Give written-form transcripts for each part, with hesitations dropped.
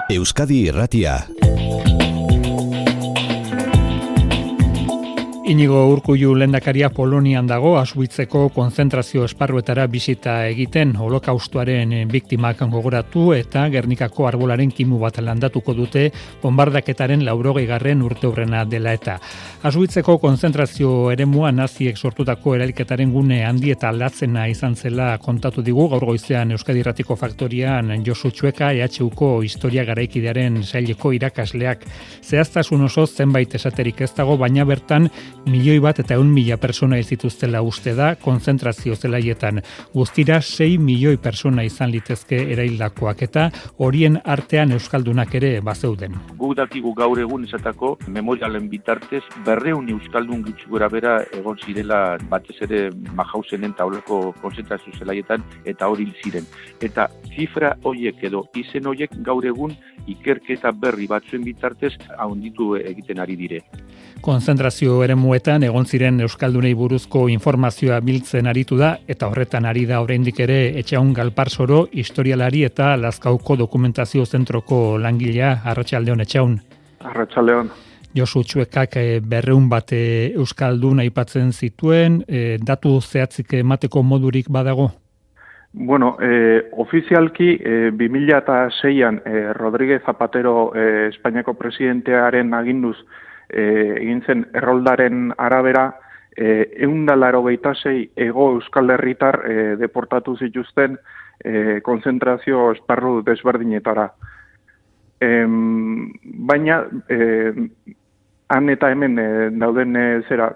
Euskadi Irratia. Inigo Urkullu lehendakaria Polonian dago, Auschwitzeko konzentrazio esparruetara bisita egiten, holokaustoaren biktimak gogoratu eta Gernikako arbolaren kimu bat landatuko dute bombardaketaren 80. urteurrena dela eta. Auschwitzeko konzentrazio eremua naziek sortutako erailketaren gune handi eta aldatzena izan zela kontatu digu gaur goizean Euskadi Irratiko Faktorian Josu Txueka EHUko historia garaikidearen saileko irakasleak. Zehaztasun oso zenbait esaterik ez dago, baina bertan 1.100.000 persona zituztela uste da konzentrazio zelaietan. Guztira 6 milioi persona izan litezke eraildakoak eta horien artean euskaldunak ere bazeuden. Guk dakigu gaur egun esatako memorialen bitartez 200 euskaldun gutxi gora bera egon zirela batez ere Mahausenen taulako konzentrazio zelaietan eta hori ziren. Eta zifra horiek edo izen horiek gaur egun ikerketa berri batzuen bitartez handitu egiten ari dire. Konzentrazio eremuetan egon ziren euskaldunei buruzko informazioa biltzen aritu da eta horretan ari da oraindik ere Etxaun Galparsoro historialari eta Lazkauko dokumentazio zentroko langilea. Arratsaldeon Etxaun. Arratsaldeon. Josu Txuekak 200 bat euskaldun aipatzen zituen, datu zehatzik emateko modurik badago? Bueno, ofizialki 2006an Rodríguez Zapatero Espainiako presidentearen aginduz egin zen erroldaren arabera 186 ego euskal herritar deportatu zituzten konzentrazio esparru desberdinetara. Baina han eta hemen dauden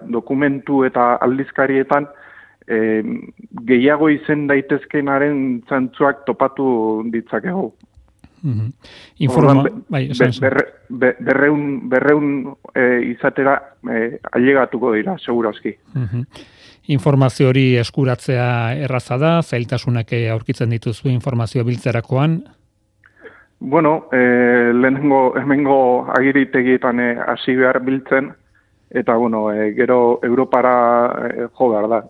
dokumentu eta aldizkarietan gehiago izen daitezkenaren zantzuak topatu ditzakegu. Berreun izatera ailegatuko dira, segurazki. Informazio hori eskuratzea erraza da, zailtasunak aurkitzen dituzu informazio biltzerakoan? Bueno, hemengo agiritegietan hasi behar biltzen, eta gero Europara jo behar da.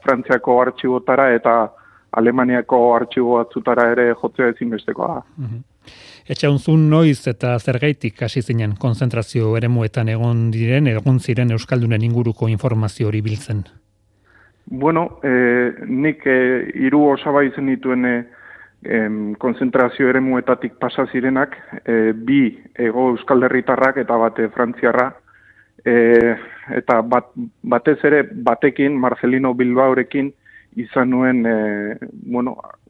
Frantziako artxibotara eta Alemaniako artxibo batzutara ere jotzea ezinbestekoa da. Etxaunzun noiz eta zergaitik hasi zinen konzentrazio eremuetan egon ziren euskaldunen inguruko informazio hori biltzen? Bueno, nik 3 osaba izen dituen konzentrazio eremuetatik pasa zirenak, 2 ego euskal herritarrak eta bate frantziarra, eta batez ere batekin, Marcelino Bilbaorekin, izan nuen,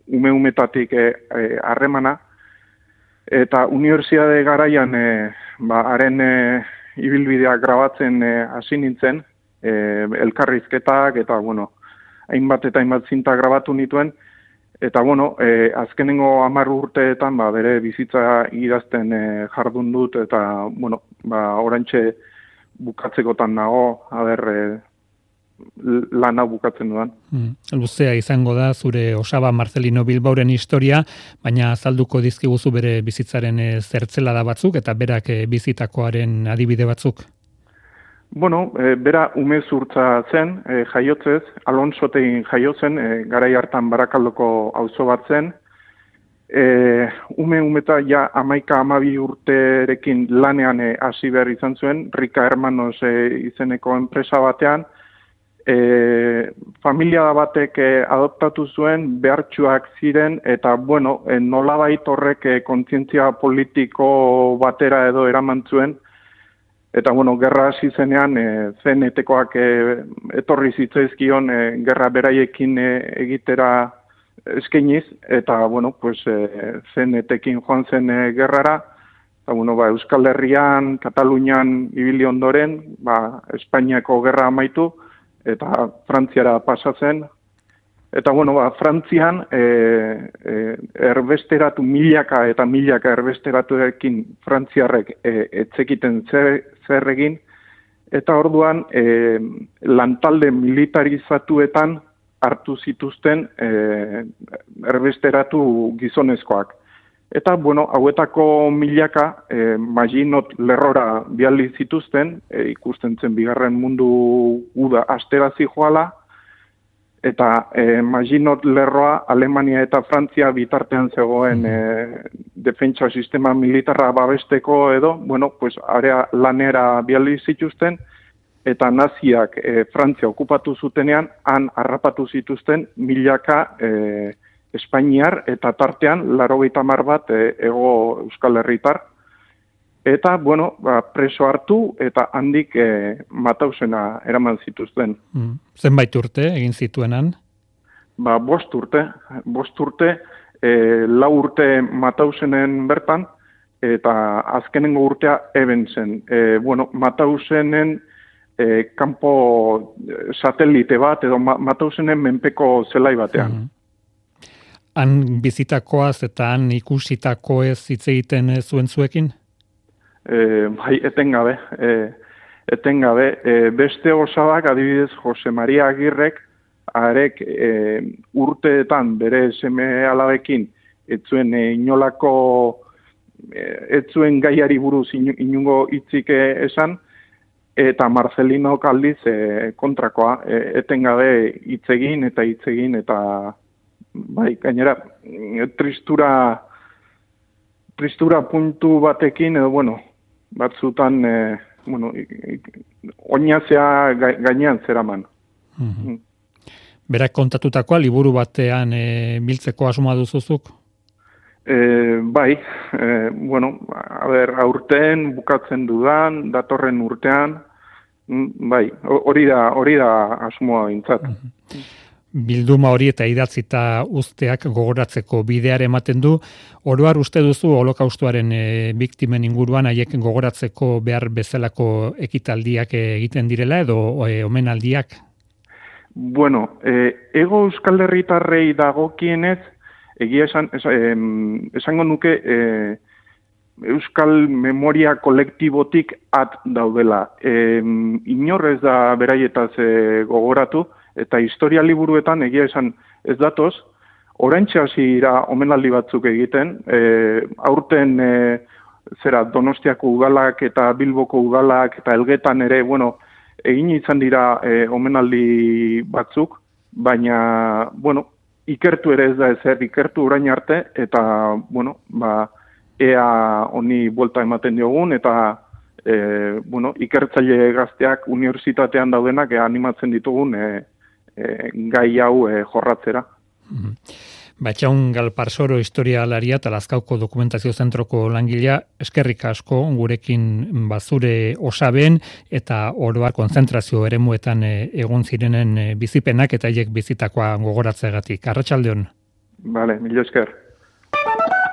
ume-umetatik harremana, eta unibertsitate garaian haren ibilbidea grabatzen hasi nintzen, elkarrizketak eta hainbat eta hainbat zinta grabatu nituen, eta azkenengo 10 urteetan bere bizitza idazten jardun dut, eta oraintxe bukatzekotan nago, lan hau bukatzen dudan. Luzea izango da zure osaba Marcelino Bilbaoren historia, baina azalduko dizkiguzu bere bizitzaren zertzelada batzuk eta berak bizitakoaren adibide batzuk. Bueno, bera umezurtza zen, jaiotzez, Alonsotegin jaiotzen, garai hartan Barakaldoko auzo bat zen. Umeta ja 11-12 urterekin lanean hasi behar izan zuen, Rika Hermanos izeneko enpresa batean. Familia batek adoptatu zuen, behartsuak ziren, eta nolabait horrek kontzientzia politiko batera edo eraman zuen, eta gerra hasi zenean CNT-koak etorri zitzaizkion gerra beraiekin egitera eskainiz, eta CNT-ekin joan zen gerrara, eta Euskal Herrian, Katalunian ibili ondoren, Espainiako gerra amaitu, eta Frantziara pasatzen, eta Frantzian erbesteratu milaka eta milaka erbesteratuekin frantziarrek etzekiten zer egin, eta orduan lantalde militarizatuetan hartu zituzten erbesteratu gizonezkoak. Eta, hauetako milaka Maginot lerrora bialdi zituzten, ikusten zen bigarren mundu guda asterazi joala, eta Maginot Lerroa Alemania eta Frantzia bitartean zegoen defentsa sistema militarra babesteko edo, bueno, pues area lanera biali zituzten, eta naziak Frantzia okupatu zutenean, han harrapatu zituzten milaka Espainiar eta tartean 80 bat hego Euskal Herritar. Eta, bueno, preso hartu eta handik Matausena eraman zituzten. Zenbait urte egin zituenan? 5 urte. 5 urte, 4 urte Matausenen bertan, eta azkenengo urtea eben zen. Bueno, Matausenen kanpo satelite bat, edo Matausenen menpeko zelai batean. Han bizitakoaz eta han ikusitakoez hitz egiten zuen zuekin? Bai, etengabe. Beste osabak, adibidez, Jose Maria Agirrek, arek urteetan bere seme alabekin, etzuen inolako, etzuen gaiari buruz inungo hitzik esan, eta Marcelino aldiz kontrakoa, etengabe hitzegin eta bai, gainera, tristura puntu batekin, edo, bueno, batzutan, oinazea gainean zeraman. Berak kontatutakoa liburu batean biltzeko asmoa duzuzuk? Bai, aurten bukatzen dudan, datorren urtean, bai, hori da asmoa bintzat. Bilduma hori eta idatzita uzteak gogoratzeko bideare ematen du. Oro har uste duzu holokaustoaren biktimen inguruan haiek gogoratzeko behar bezalako ekitaldiak egiten direla edo omenaldiak? Bueno, ego Euskal Herritarrei dagokienez, egia esango nuke Euskal memoria kolektibotik at daudela. Inor ez da beraietaz gogoratu, eta historia liburuetan egia esan ez datoz, oraintxe hasi dira omenaldi batzuk egiten, aurten Donostiako udalak eta Bilboko udalak eta Elgetan ere, bueno, egin izan dira omenaldi batzuk, baina, bueno, ikertu ere ez da ezer, ikertu orain arte, eta, bueno, ea honi buelta ematen diogun, eta ikertzaile gazteak unibertsitatean daudenak animatzen ditugun gai hau jorratzera. Batxaun Galparsoro historialaria eta Lazkauko dokumentazio zentroko langilea, eskerrik asko gurekin bazure osaben eta oro har konzentrazio eremuetan egon zirenen bizipenak eta haiek bizitakoa gogoratzeagatik. Arratsaldeon. Vale, mila esker.